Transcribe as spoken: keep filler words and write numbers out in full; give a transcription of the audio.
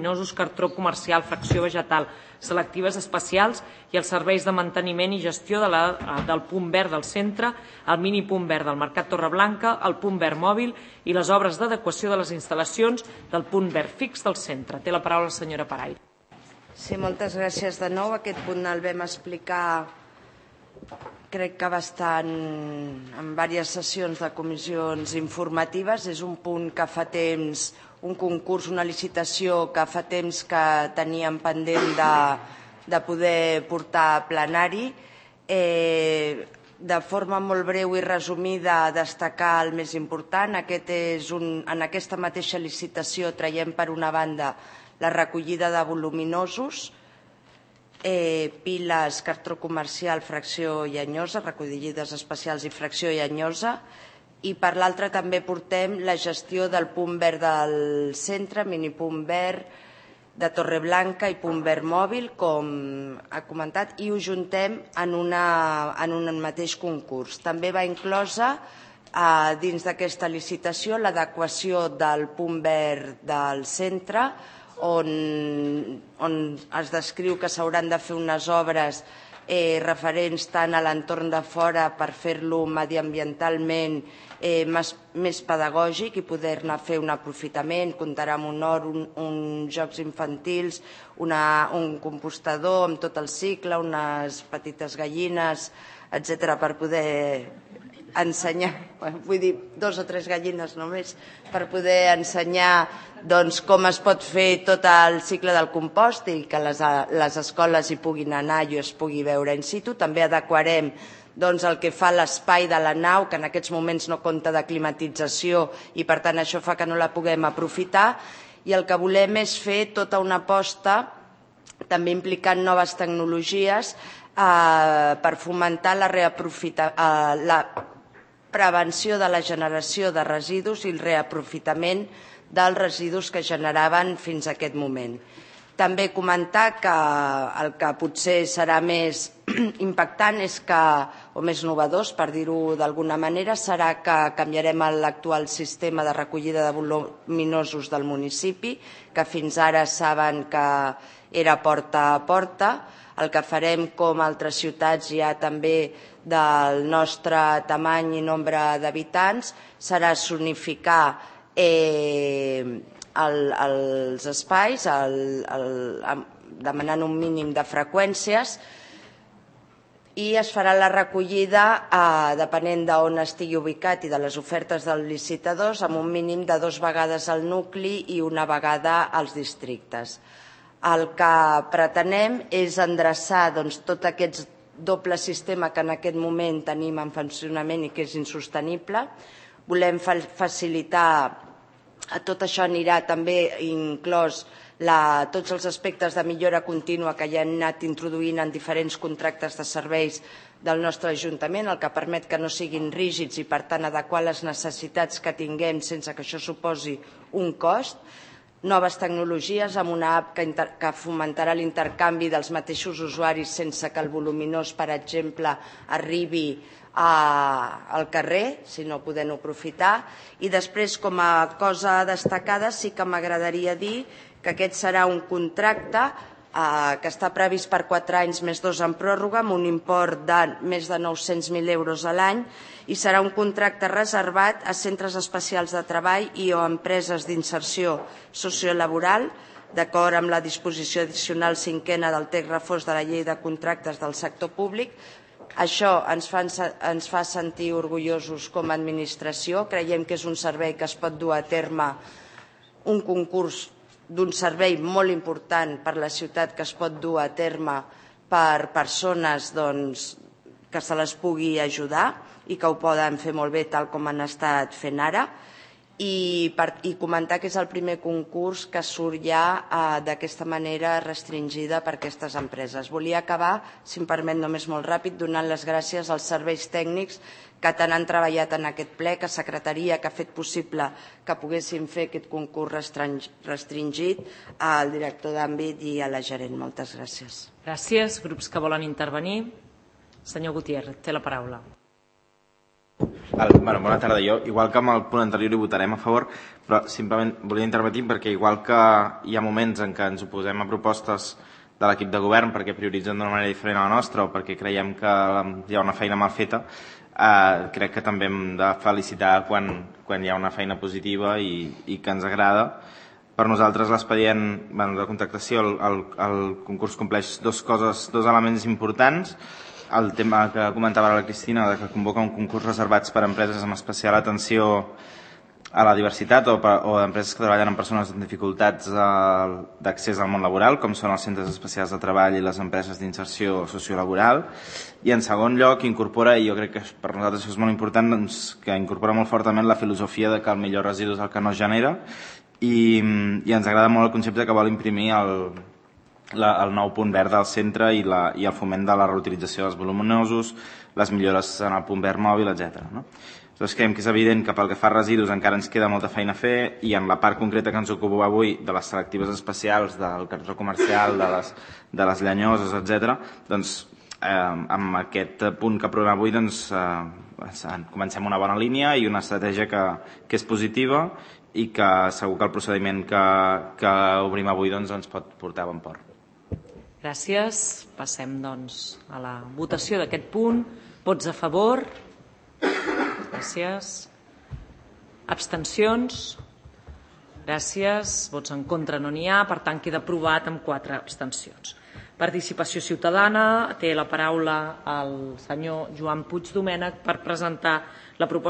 voluminosos, cartró comercial, fracció vegetal, selectives especials i els serveis de manteniment i gestió de la, del punt verd del centre, el mini punt verd del Mercat Torreblanca, el punt verd mòbil i les obres d'adequació de les instal·lacions del punt verd fix del centre. Té la paraula la senyora Paraire. Sí, moltes gràcies de nou. Aquest punt el vam explicar, crec que bastant, en diverses sessions de comissions informatives. És un punt que fa temps, un concurs, una licitació que fa temps que teníem pendent de, de poder portar a plenari. Eh, de forma molt breu i resumida, destacar el més important. Aquest és un, en aquesta mateixa licitació traiem per una banda la recollida de voluminosos, eh, piles, cartró comercial, fracció llenyosa, recollides especials i fracció llenyosa, i per l'altra també portem la gestió del punt verd del centre, mini punt verd de Torreblanca i punt verd mòbil, com ha comentat, i ho juntem en, una, en un mateix concurs. També va inclosa eh, dins d'aquesta licitació l'adequació del punt verd del centre, on, on es descriu que s'hauran de fer unes obres eh, referents tant a l'entorn de fora per fer-lo mediambientalment eh, més, més pedagògic i poder-ne fer un aprofitament. Comptarà amb un hort, un, uns jocs infantils, una, un compostador amb tot el cicle, unes petites gallines, etcètera, per poder ensenyar, vull dir, dos o tres gallines només, per poder ensenyar doncs, com es pot fer tot el cicle del compost i que les, les escoles hi puguin anar i es pugui veure in situ. També adequarem doncs, el que fa l'espai de la nau, que en aquests moments no compta de climatització i per tant això fa que no la puguem aprofitar, i el que volem és fer tota una aposta, també implicant noves tecnologies, eh, per fomentar la reaprofita, eh, la prevenció de la generació de residus i el reaprofitament dels residus que generaven fins a aquest moment. També comentar que el que potser serà més impactant és que, o més novedós, per dir-ho d'alguna manera, serà que canviarem l'actual sistema de recollida de voluminosos del municipi, que fins ara saben que era porta a porta. El que farem, com altres ciutats ja també del nostre tamany i nombre d'habitants, serà zonificar eh, el, els espais, el, el, demanant un mínim de freqüències, i es farà la recollida, eh, depenent d'on estigui ubicat i de les ofertes dels licitadors, amb un mínim de dues vegades al nucli i una vegada als districtes. El que pretenem és endreçar doncs, tot aquest doble sistema que en aquest moment tenim en funcionament i que és insostenible. Volem facilitar, tot això anirà també inclòs la, tots els aspectes de millora contínua que ja han anat introduint en diferents contractes de serveis del nostre Ajuntament, el que permet que no siguin rígids i per tant adequar les necessitats que tinguem sense que això suposi un cost. Noves tecnologies amb una app que, inter, que fomentarà l'intercanvi dels mateixos usuaris sense que el voluminós, per exemple, arribi a, al carrer, sinó podent-ho aprofitar. I després, com a cosa destacada, sí que m'agradaria dir que aquest serà un contracte eh, que està previst per quatre anys més dos en pròrroga, amb un import de més de nou-cents mil euros a l'any, i serà un contracte reservat a centres especials de treball i o empreses d'inserció sociolaboral, d'acord amb la disposició addicional cinquena del text refós de la Llei de Contractes del Sector Públic. Això ens fa, ens fa sentir orgullosos com a administració. Creiem que és un servei que es pot dur a terme, un concurs d'un servei molt important per la ciutat que es pot dur a terme per persones doncs, que se les pugui ajudar i que ho poden fer molt bé tal com han estat fent ara. I, per, i comentar que és el primer concurs que surt ja eh, d'aquesta manera restringida per aquestes empreses. Volia acabar, si em permet només molt ràpid, donant les gràcies als serveis tècnics que tant han treballat en aquest ple, que secretaria que ha fet possible que poguéssim fer aquest concurs restringit, al director d'àmbit i a la gerent. Moltes gràcies. Gràcies. Grups que volen intervenir. Senyor Gutiérrez, té la paraula. El, bueno, bona tarda. Jo, igual que amb el punt anterior, hi votarem a favor, però simplement volia intervenir perquè igual que hi ha moments en què ens oposem a propostes de l'equip de govern perquè prioritzen d'una manera diferent a la nostra o perquè creiem que hi ha una feina mal feta, eh, crec que també hem de felicitar quan, quan hi ha una feina positiva i, i que ens agrada. Per nosaltres l'expedient bueno, de contractació, el, el, el concurs compleix dos coses, dos elements importants. El tema que comentava la Cristina, de que convoca un concurs reservat per a empreses amb especial atenció a la diversitat o, per, o empreses que treballen amb persones amb dificultats d'accés al món laboral, com són els centres especials de treball i les empreses d'inserció sociolaboral. I en segon lloc incorpora, i jo crec que per nosaltres això és molt important, doncs, que incorpora molt fortament la filosofia de que el millor residu és el que no es genera i, i ens agrada molt el concepte que vol imprimir el, la, el nou punt verd al centre i, la, i el foment de la reutilització dels voluminosos, les millores en el punt verd mòbil, etcètera. No? Llavors creiem que és evident que pel que fa a residus encara ens queda molta feina a fer i en la part concreta que ens ocupa avui de les selectives especials, del cartró comercial, de les, de les llenyoses, etcètera, doncs eh, amb aquest punt que aprovem avui doncs, eh, comencem una bona línia i una estratègia que, que és positiva i que segur que el procediment que, que obrim avui doncs, ens pot portar a bon port. Gràcies. Passem doncs, a la votació d'aquest punt. Vots a favor? Gràcies. Abstencions? Gràcies. Vots en contra no n'hi ha, per tant queda aprovat amb quatre abstencions. Participació ciutadana. Té la paraula el senyor Joan Puig Domènech per presentar la proposta